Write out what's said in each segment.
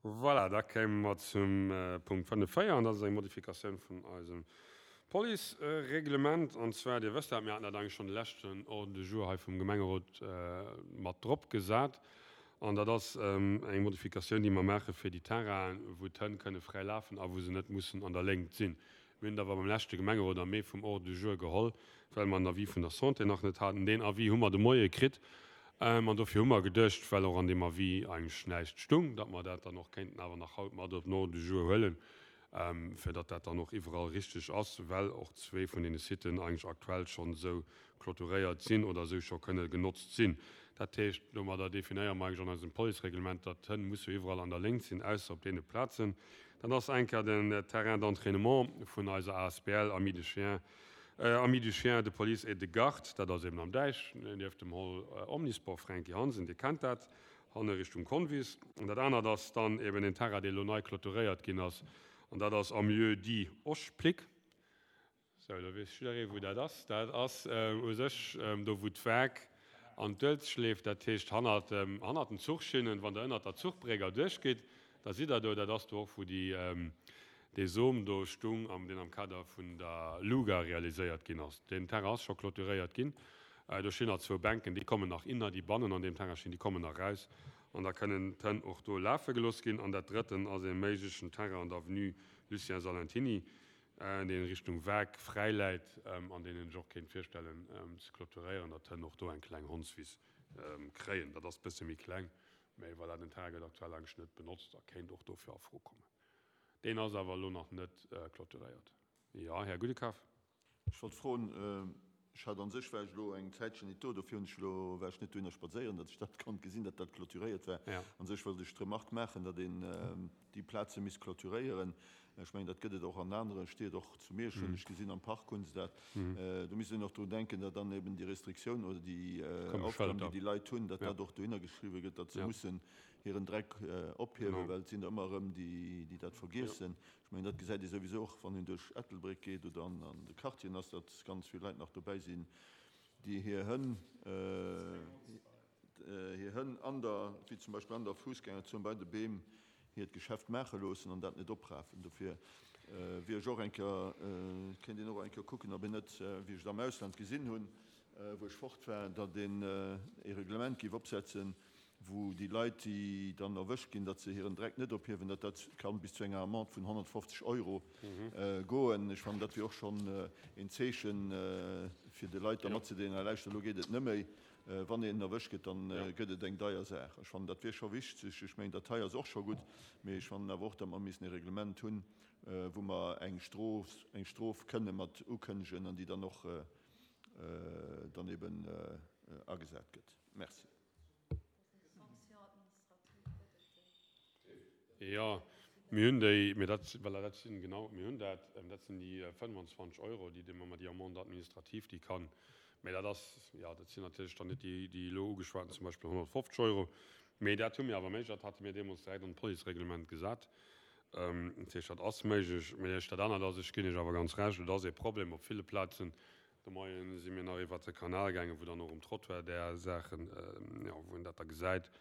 Voilà, da kéime mer zum Punkt 5, 4, an dat ass eng Modifikatioun vun eisem Policereglement. An zwar, Dir wësst dat, mir haten dat eigentlech schonn de leschten Ordre du jour hei vum Gemengerot mat drop gesat. An dat ass eng Modifikatioun, déi mer maache fir déi Terrainen, wou d'Hënn kënne fräi lafen a wou se net mussen an der Léngt sinn. Mir hunn et awer beim leschte Gemengerot am Mee vum Ordre du jour geholl, well mer en Avis vun der Santé nach net haten. Deen Avis hu mer de Moie kritt an dofir hu mer geduecht, well och an deem Avis eigentlech näischt stung, datt mer dat dann och kéinten awer nach haut mat op den Ordre du jour huelen, fir datt dat dann och iwwerall richteg ass, well och zwee vun deene Siten eigentlech aktuell schonn esou clôturéiert sinn oder esou scho kënne genotzt sinn. Dat heescht, domadder definéiere mer eigentlech an eisem Policereglement, datt d'Hënn musse iwwerall an der Léngt sinn, ausser op deene Plazen. Dat ass eng Kéier den Terrain d'entraînement vun eiser asbl Amis de Chiens, Amis du Chien de Police et de Garde. Dat ass eben am Däich, nieft dem Hall Omnisport Franky Hansen, Dir kennt dat, hanne Richtung Convis. An dat anert ass dann eben deen Terrain, dee elo nei clôturéiert ginn ass, an dat ass am Lieu-dit Oschplick. Sou, da weess jidderee wou dat ass. Dat ass u sech do wou d'Waark an d'Uelzecht leeft, dat heescht hannert dem, hannert den Zuchschinnen. Wann Der ënnert der Zuchbréck erduerch gitt, da sidd Der do. Dat ass do och wou déi, dee Som do stung, am, deen am Kader vun der Luga realiséiert ginn ass. Deen Terrain ass scho clôturéiert ginn. Do stinn nach zwou Bänken, déi kommen nach inner, déi bannen an deem Terrain stinn, déi kommen nach raus an da kënnen d'Hënn och do lafe gelooss ginn. An dat drëtten ass ee méiglechen Terrain an der Avenue Lucien Salentiny, deen Richtung Waark fräi läit an deen een sech och kéint virstellen ze clôturéieren, datt d'Hënn och do eng kleng Hondswiss kréien. Dat ass bësse méi kleng, mä voilà, den Terrain gëtt aktuell eigentlech net benotzt a kéint och dofir a Fro kommen. Deen ass awer elo nach net clôturéiert. Jo, Här Gudekaf. Ech wollt froen, ech hat an sech, war ech elo eng Zäitchen nit do, dofir hunn ech elo, war ech net dohinner spadséieren, datt ech dat konnt gesinn, datt dat clôturéiert war. An sech wollt ech d'Remarque maachen, datt een déi Plaze misst clôturéieren. Ech mengen, dat gëtt et och an anere Stied, och zu Miersch hunn ech gesinn, am Park hu se dat. Do misst een och drun denken, datt dann eben déi Restriktioun oder déi Aufgaben, déi déi Leit hunn, datt dat och dohinner geschriwwe gëtt, datt se mussen hiren Dreck ophiewen, well et sinn der ëmmer erëm, déi dat vergiessen. Ech mengen, dat gesäit ee souwisou och, wann een duerch Ettelbréck geet oder an de Quartieren ass, datt ganz vill Leit nach dobäi sinn, déi hir Hënn, hir Hënn an der, wéi zum Beispill an der Fussgängerzon bei de Beem, hiert Geschäft maache loossen an dat net oprafen. Dofir wier ech och eng Kéier, kéint een och eng Kéier kucken, ob een net, wéi ech et am Ausland gesinn hunn, wou ech fort war, datt een e Reglement géif opsetzen, wou déi Leit, déi dann erwëscht ginn, datt se hiren Dreck net ophiewen, datt dat kann bis zu enger Amende vun 150 Euro goen. Ech fannen, dat wier och schonn een Zeechen, fir de Leit da matzedeelen, Hei lauschter, elo geet et net méi. Wann een erwëscht gëtt, dann gëtt et eng deier Saach. Ech fannen, dat wier scho wichteg. Ech mengen, dat hei ass och scho gutt, mee ech fannen awer och, datt mer missen e Reglement hunn, wou mer eng Strof, eng Strof kënne mat ukënnegen an déi dann och dann eben agesat gëtt. Merci. Jo, mir hunn déi, mee dat, voilà, dat sinn, genau, mir hunn dat, dat sinn déi 25 Euro, déi de Moment, déi Amende administrative, déi kann, mee dat ass, jo, dat sinn natierlech dann net déi, déi elo ugeschwaten, zum Beispill 150 Euro, mee dat hu mir awer méiglech, dat hate mir deemools direkt an d'Policereglement gesat. Dat heescht, dat ass méiglech. Mee dat anert ass, ech ginn Iech awer ganz Recht, et ass ee Problem op ville Plazen, De Moien si mir nach iwwert de Kanal gaangen, wou dann och um Trottoir där Saachen, jo, wou een dat da gesäit.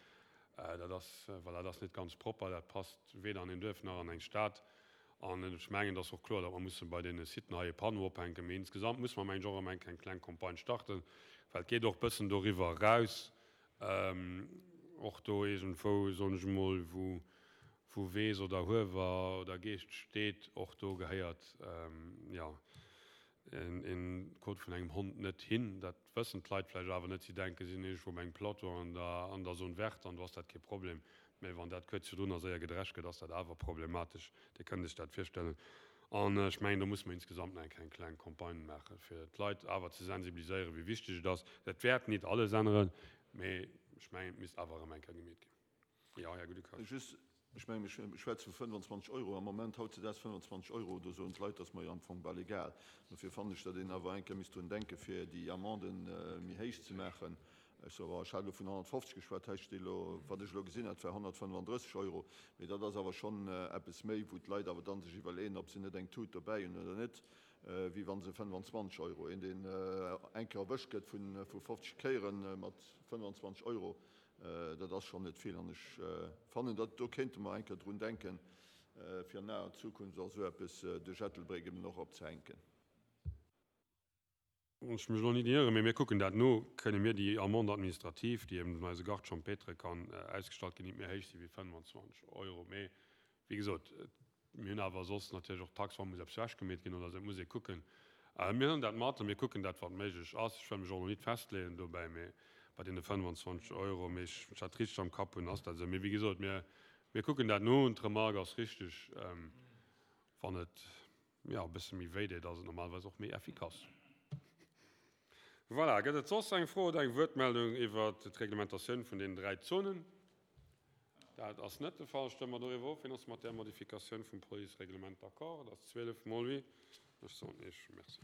Dat ass, voilà, dat ass net ganz propper, dat passt weder an een Duerf nach an eng Stad. An ech mengen, et ass och kloer, datt mer musse bei deene Siten hei e Panneau ophänken. Mee insgesamt musse mer, mengen ech, och erëm eng eng kleng Campagne starten, well et geet och e bëssen doriwwer eraus, och do iergendwou, soen ech emol, wou, wou Weess oder Huewer oder Geescht steet, och do gehéiert, jo, een Kot vun engem Hond net hin. Dat wëssen d'Leit vläicht awer net. Si denken, si sinn iergendwou op engem Plateau an der an der Zone verte an do ass dat kee Problem. Mä wann dat kuerz virdrun a séier gedrescht gëtt, ass dat awer problematesch. Dir kënnt Iech dat virstellen. An ech mengen, do musse mer insgesamt nach eng Kéier eng kleng Campagne maachen, fir d'Leit awer ze sensibiliséieren, wéi wichteg et ass. Dat wäert nit alles änneren, mä ech mengen, et misst awer erëm eng Kéier gemeet ginn. Jo, Här Goudekar. Just, ech mengen, mir schwätze vu 25 Euro am Moment, hautzedaags 25 Euro, do soen d'Leit, dat ass mer jo am Fong bal egal. Dofir fannen ech, datt een awer eng Kéier misst drun denken, fir déi Amenden méi héich ze maachen. Ech soe, ech hat elo vun 150 geschwat, hei steet elo, wat ech elo gesinn hat, war 135 Euro. Mee dat ass awer schonn eppes méi, wou d'Leit awer da sech iwwerleeën, ob se net eng Tut dobäi hunn oder net, wéi wa se 25 Euro, een, deen eng Kéier erwëscht gëtt vu 50 Kéiere mat 25 Euro. Dat ass schonn net vill. An ech fannen, dat do kéinte mer eng Kéier drun denken, fir an naher Zukunft och esou eppes duerch Ettelbréck eben och opzehänken. Wann ech mech elo nit ieren, mee mir kucken dat no, kënne mir déi Amende administrative, déi eben vun eise Garde champêtre kann ausgestallt ginn, nit méi héich si wéi 25 Euro. Mee wéi gesot, mir hunn awer soss natierlech och d'Tax, wa muss eppes ewechgemeet ginn oder esou, et muss ee kucken. Mir huelen dat mat a mir kucken dat, wat méiglech ass. Ech wëll mech och elo nit festleeën dobäi, mee bei deene 25 Euro, mee ech, wann ech dat richteg am Kapp hunn, ass dat esou. Mee wéi gesot, mir, mir kucken dat no. D'Remarque ass richteg, wann et Jo, e bësse méi wéi deet, ass et normalerweis och méi effikass. Voilà, gëtt et soss eng Fro oder eng Wuertmeldung iwwert d'Reglementatioun vun deenen 3 Zonen? Dat ass net de Fall. Stëmme mer doriwwer of. Wien ass mat där Modifikatioun vum Policereglement d'accord? Dat ass 12 mol oui. Ech soen Iech Merci.